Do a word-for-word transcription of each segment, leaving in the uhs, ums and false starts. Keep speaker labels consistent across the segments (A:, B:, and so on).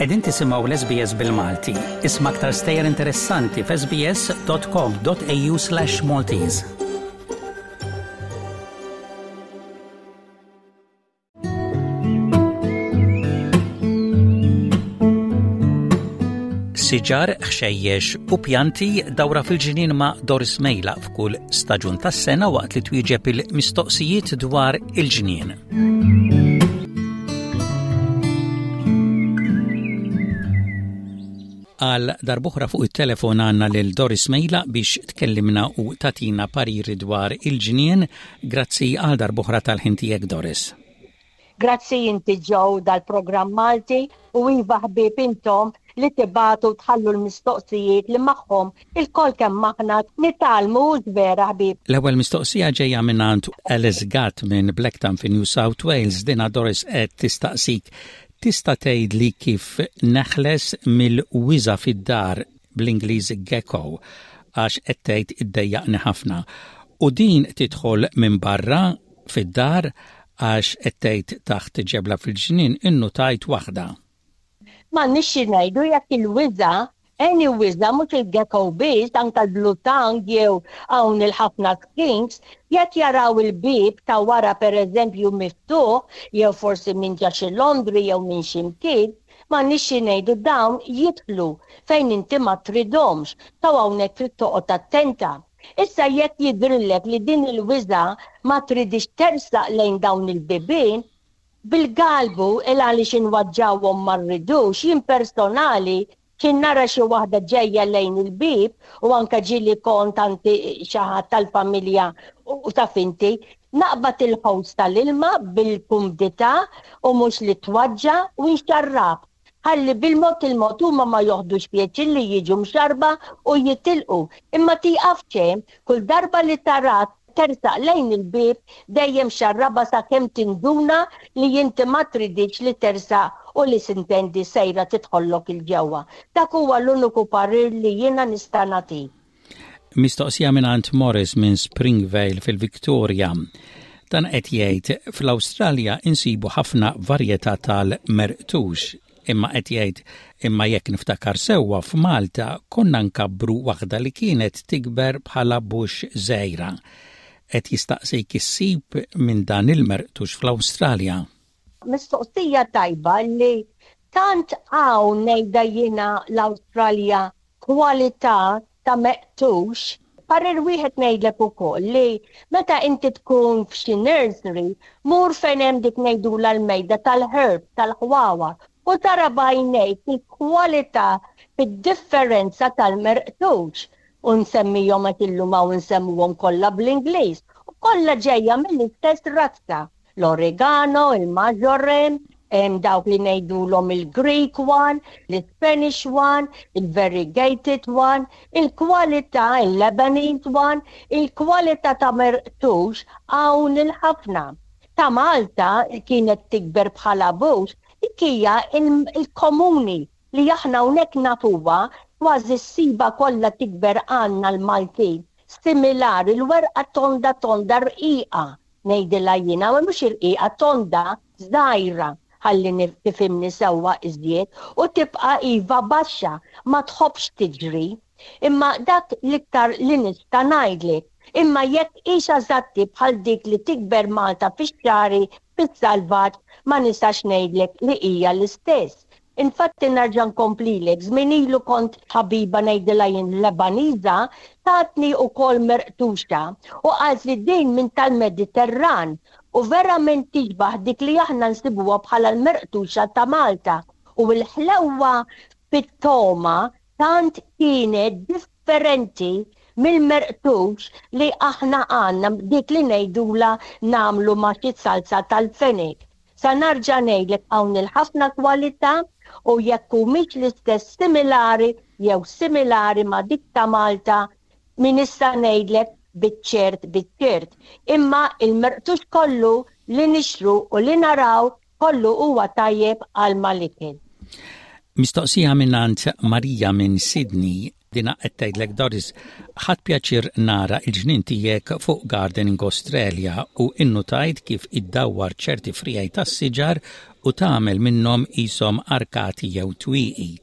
A: Qegħdin tisimgħu l-S B S bil-Malti. Isma' aktar stejjer interessanti f'S B S dot com dot A U slash Maltese. Siġar, ħxejjex u pjanti, dawra fil-ġnien ma' Doris Mejla f'kull staġun tas-sena waqt li twieġeb il-mistoqsijiet dwar il-ġnien. Għal darb'oħra fuq it-telefon għandna lil Doris Mejla biex tkellimna u tagħtina pariri dwar il-ġnien. Grazzi għal darb'oħra tal-ħin tiegħek, Doris.
B: Grazzi inti, Joe, dal-programm Malti, u iva ħbieb, intom li tibagħtu, tħallu l-mistoqsijiet li magħhom ilkoll kemm aħna nitgħallmu, vera ħbieb.
A: L-ewwel mistoqsija ġejja minn Alice Gatt minn Blacktown fi New South Wales. Dina Doris qed tistaqsik: tista' tgħidli kif neħles mill-wiża fid-dar, bl-Ingliż gecko, għax qed tgħid iddejjaqni ħafna. U din tidħol minn barra fid-dar, għax qed tgħid taħt ġebla fil-ġnien innutajt waħda.
B: M'għandniex xi ngħidu, jekk il-wiża, any wiża, mhux il-gecko biss, anka l-blue tongue jew hawn il-ħafna skinks, jekk jaraw il-bib ta' wara pereżempju miftuħ jew forsi minn ġa xi laundry jew minn xi mkien, m'għandniex xi ngħidu, dawn jidħlu fejn inti ma tridhomx. Ta' hawnhekk trid toqgħod attenta. Issa jekk jidhirlek li din il-wiża ma tridix tersaq lejn dawn il-bibien, bil-galbu, il għaliex inweġġgħuhom ma rridux, jien personali kien nara xi waħda ġejja lejn il-bib u anka ġieli kont għandi xi ħadd tal-familja u taf inti, naqbad il-hose tal-ilma bil-kumdità u mhux li tweġġa' u nxarrab. Ħalli bil-mod il-mod huma ma joħdux pjaċir li jiġu mxarba u jitilqu. Imma tieqaf hemm, kull darba li tara tersaq lejn il-bib dejjem xarraba sakemm tinduna li inti ma tridix li tersaq u li s'intendi sejra tidħollok 'il ġewwa. Dak huwa l-uniku parir li jiena nista' nagħti.
A: Mistoqsija minn Morris minn Springvale fil-Victoria. Dan qed jgħid fl-Awstralja insibu ħafna varjetà tal-merqtux, imma qed jgħid imma jekk niftakar sewwa f'Malta konna nkabbru waħda li kienet tikber bħala bush żgħira. Qed jistaqsik issib minn dan il-merqtux fl-Awstralja.
B: Mistoqsija tajba li tant hawn, ngħidha jiena, l-Awstralja kwalità ta' meqtux. Parir wieħed ngħidlek ukoll li meta inti tkun f'xi nursery, mur fejn hemm dik ngħidula l-mejda tal-herb, tal-ħwawar, u tara b'għajnejk il-kwalità fid-differenza tal-merqtux, u nsemmihom qed illum hawn nsemmuhom kollha bl-Ingliż u kollha ġejja mill-istess razza. L-oregano, il-marjoram, hemm dawk li ngħidulhom il-Greek one, l-Spanish one, il-variegated one, il-kwalità, il-Lebanese one, il-kwalità ta' merqtux hawn il-ħafna. Ta' Malta kienet tikber bħala bush, dik hija il-komuni li aħna hawnhekk nafuha, kważi ssiba kollha tikber għandna l-Maltin. Similari, l-werqa tonda tonda rqiqa, ngħidilha jiena, ma mhux irqiqa, tonda żgħira, ħalli tifhimni sewwa iżjed, u tibqa' iva baxxa, ma tħobbx tiġri. Imma dak l-iktar li nista' ngħidlek. Imma jekk hix eżatti bħal dik li tikber Malta fix-xagħri fis-salvaġġ, ma nistax ngħidlek li hija l-istess. Infatti nerġa' nkomplilek, żmien ilu kont ħabiba, ngħidilha jien, Lebaniża, tatni ukoll merqtuxa u qalt li din minn tal-Mediterran u verament tixbaħ dik li aħna nsibuha bħala l-merqtuxa ta' Malta, u l-ħlewa fit-togħma tant kienet differenti mill-merqtux li aħna għandna, dik li ngħidula nagħmlu ma' xi salsa tal-fenek. Sa nerġa' ngħidlek, hawn il-ħafna kwalità u jekk mhix l-istess similari jew similari ma' dik ta' Malta, min issa ngħidlek biċ-ċert biċ-ċert. Imma il-merqtux kollu li nixtru u li naraw kollu huwa tajjeb għal mal-ikel.
A: Mistoqsija minn Marija minn Sydney. Dina qed tgħidlek, Doris, ħadt pjaċir nara il-ġnien tiegħek fuq Gardening Australia u innutajt kif iddawwar ċerti friegħi tas-siġar u tagħmel minnhom qishom arkati jew twieqi.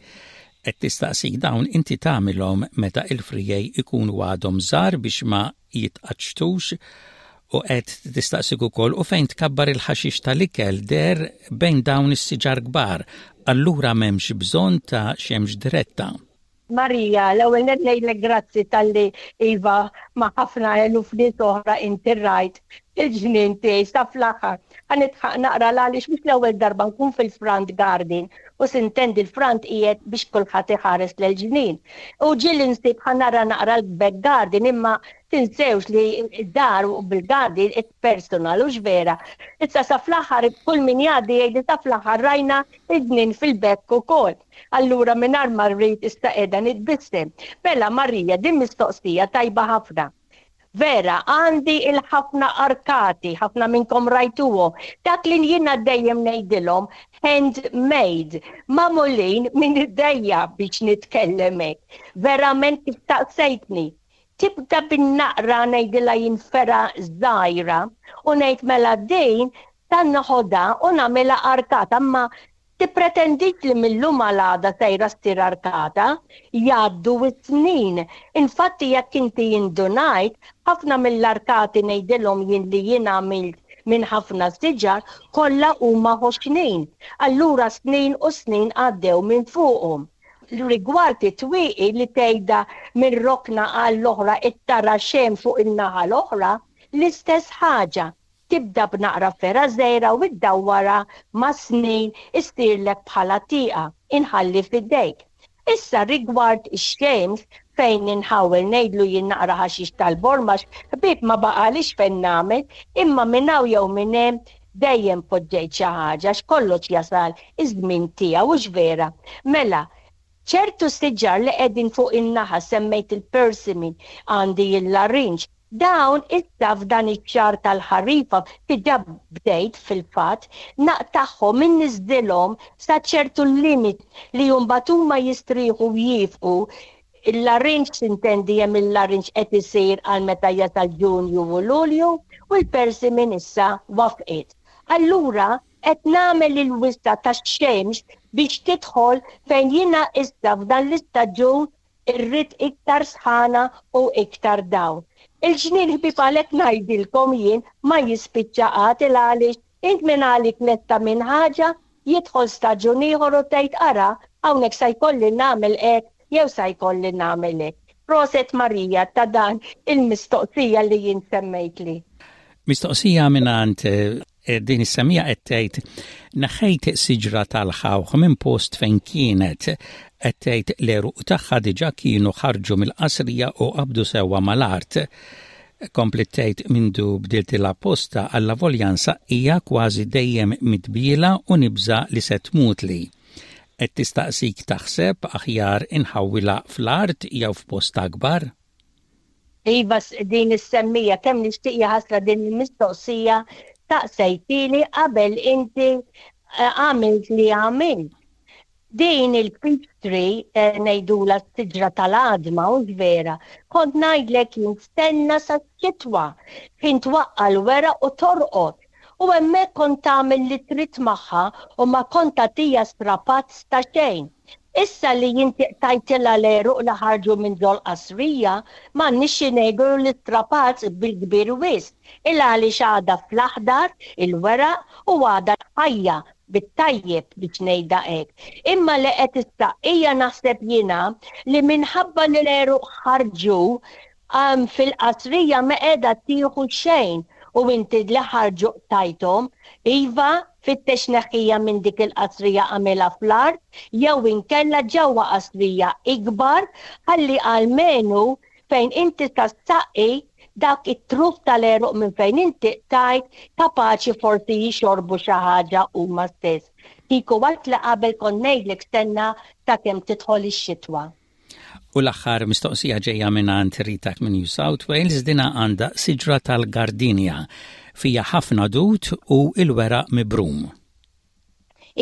A: Qed tistaqsik, dawn inti tagħmilhom meta il-friegħi ikunu għadhom żgħar biex ma jitqaċċtux? U qed tistaqsik ukoll u fejn tkabbar il-ħaxix tal-ikel der bejn dawn is-siġar kbar, allura m'hemmx bżonn ta' xemx diretta.
B: Marija, l-ewwel nett ngħidlek grazzi talli, iva, ma' ħafna eluf nies oħra inti rajt il-ġnien tiegħi sa fl-aħħar. Ħa nidħaq naqra għaliex mhux l-ewwel darba nkun fil-front garden u s'intendi l-front qiegħed biex kulħadd iħares l-ġnien. U ġieli nsib ħa nara naqra l-back garden, imma tinsewx li d-dar u bil-garden it's personal, u vera. Issa sa fl-aħħar kull min jgħaddi jgħid sa fl-aħħar rajna id-ġnien fil-back ukoll. Allura mingħajr ma rrid issa qiegħda nitbissem. Bella Marija, din mistoqsija tajba ħafna. Vera, għandi il-ħafna arkati, ħafna minnkom rajtuhom. Dak li jiena dejjem ngħidilhom handmade, magħmulin minn idejja biex nitkellem hekk. Verament kif staqsejtni. Tibda bin-naqra, ngħidilha jien, fergħa żgħira u ngħid mela din tan noħodha u nagħmilha arkata, imma tippretendix li mill-lum għal sejra ssir arkata, jgħaddu snin. Infatti jekk inti indunajt, ħafna mill-arkati, ngħidilhom jien, li jien għamilt minn ħafna siġar kollha huma ħoxnin. Allura snin u snin għaddew minn fuqhom. Rigward it-twieqi li tgħidha minn rokna għall-oħra it-tara xem fuq in-naħa l-oħra, l-istess ħaġa, tibda b'naqra fergħa żgħira u iddawwara, ma' snin issirlek bħala tieqa. Inħalli f'idejk. Issa rigward ix-xemx fejn inħawel, ngħidlu jien, naqra ħaxix tal-borma, ħbieb, ma baqalix fejn nagħmel, imma minn hawn jew minn hemm dejjem poġġejt xi ħaġa, x'kollox jasal iż-żmien tiegħu, hux vera? Mela, ċertu siġar li qegħdin fuq in-naħa, semmejt il-persimmon, għandi il-larinġ. Dawn issa f'dan iċ-xahar tal-ħarifa diġà bdejt fil-fatt naqtagħhom, inniżżilhom sa ċertu limit li mbagħad huma jistrieħu jifqu. Il-larinġ, s'intendi, hemm il-larinġ qed isir għal meta jasal Ġunju u Lulju u l-persimmon issa wafqet. Allura qed nagħmel il-wisa tax-xemx biex tidħol fejn jiena issa f'dan l-istaġun irrid iktar sħana u iktar dawl. Il-ġnien, ħbieb, għalhekk ngħidilkom jien, ma jispiċċa qatt, għaliex int minn għalik lesta minn ħaġa, jidħol staġun ieħor u tgħid ara hawnhekk sa jkolli nagħmel hekk jew sa jkolli nagħmel hekk. Proset Marija ta' dan il-mistoqsija li jien semmejtli.
A: Mistoqsija mingħand eh, din is-semmiegħa qed tgħid, neħħejt siġra tal-ħawħ minn post fejn kienet. Qed tgħid l-għeruq tagħha diġà kienu ħarġu mill-qasrija u qabdu sewwa mal-art. Kompliet tgħid, mindu bdiltilha postha, allavolja nsaqqiha, kważi dejjem midbiela u nibża li se tmutli. Qed tistaqsik, taħseb aħjar inħawwilha fl-art jew f'post akbar?
B: Iva, din is-semmiegħa, kemm nixtieq, ħasra din il-mistoqsija staqsejthieli qabel inti eh, għamilt li għamilt. Din il-peach tree, eh, ngħidulha siġra tal-għadma, u vera, kont ngħidlek jistenna sa xitwa, kien twaqqa l-weraq u torqod. U hemmhekk kont tagħmel li trid magħha u ma kont tagħtiha strapazz ta' xejn. Issa li jinti qtajtilha l-għeruq li ħarġu minn ġol qasrija, ma nixi ngħidu li strapazz bil-kbir wisq. Il għaliex għadha fl-aħdar il-weraq u għadha ħajja bit-tajjeb biex ngħidha hekk. Imma li qed issaqsija, naħseb jiena li minħabba li l-għeruq ħarġu um, fil-qasrija ma qiegħda tieħu xejn u inti li ħarġu qtajthom, iva, fittex neħħija minn dik il-qasrija, għamilha fl-art jew inkella ġewwa qasrija ikbar, ħalli almenu fejn inti tassaqqi dak it-truf tal-għeruq minn fejn inti qtajt kapaċi forsi jixorbu xi ħaġa huma stess. Kieku waqt li qabel kont ngħidlek stenna sakemm tidħol ix-xitwa.
A: U l-aħħar mistoqsija ġejja minn Rita minn New South Wales. Dina għandha siġra tal-gardinja, fija ħafna dut u il-weraq mibrum.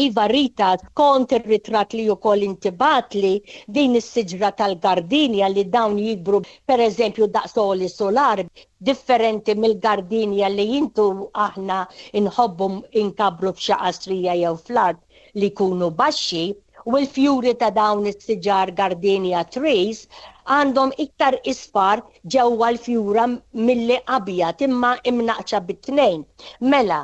B: Iva Rita, skont ir-ritratt li wkoll inti bgħattli, din is-siġra tal-gardenia li dawn jikbru, per eżempju, daqs għoli solar, differenti mill-gardenia li intu aħna inħobbu inkabbru f'xi qasrija jew fl-art li jkunu baxxi, u l-fjuri ta' dawn is-siġar gardenia trees għandhom iktar isfar ġewwa l-fjura milli abjad, imma imnaqxa bit-tnejn. Mela,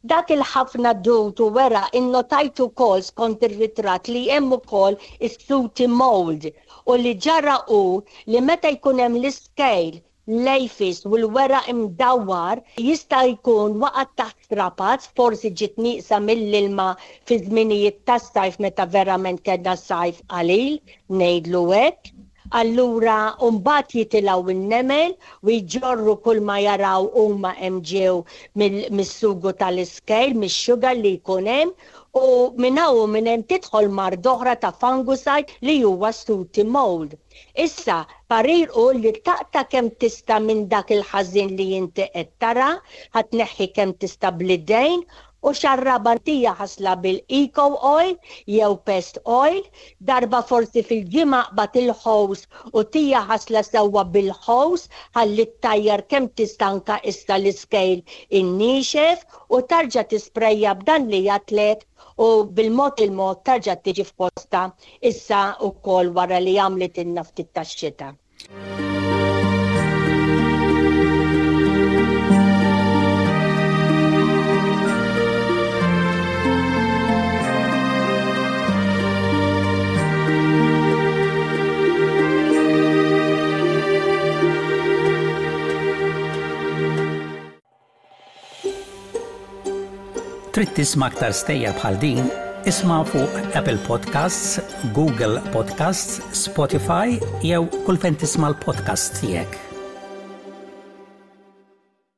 B: dak il-ħafna dud u weraq, innotajt ukoll skont ir-ritratt li hemm ukoll is-sooty mold, u li ġara hu li meta jkun hemm l-iscale, l-aphids u l-weraq imdawwar, jista' jkun waqgħet taħt strapazz, forsi ġiet nieqsa mill-ilma fi żminijiet tas-sajf meta verament kellna sajf qalil, ngħidlu hekk. Allura mbagħad jitilgħu n-nemel u jġorru kull ma jaraw huma hemm ġew mis-sugu tal-iscale, mix-sugar li jkun hemm, u minn hawn u minn hemm tidħol mard oħra ta' fungicide li huwa sooty mold. Issa, parir hu li taqta' kemm tista' minn dak il-ħażin li inti qed tara, ħa tneħħi kemm tista' bl-idejn u xarraba, tija ħasla bil-eco oil jew pest oil, darba forsi fil-ġimgħa qbad il-hose u tija ħasla sewwa bil-hose ħalli ttajjar kemm tista' anka issa l-iscale innixef, u tarġa' tisprejja b'dan li għedtlek, u bil-mod il-mod tarġa' tiġi f'posta issa wkoll wara li għamlet ilna ftit tax-xita.
A: Trid tisma' aktar stejjer bħal din? Isma' fuq Apple Podcasts, Google Podcasts, Spotify jew kull fejn tisma' l-podcast tiegħek.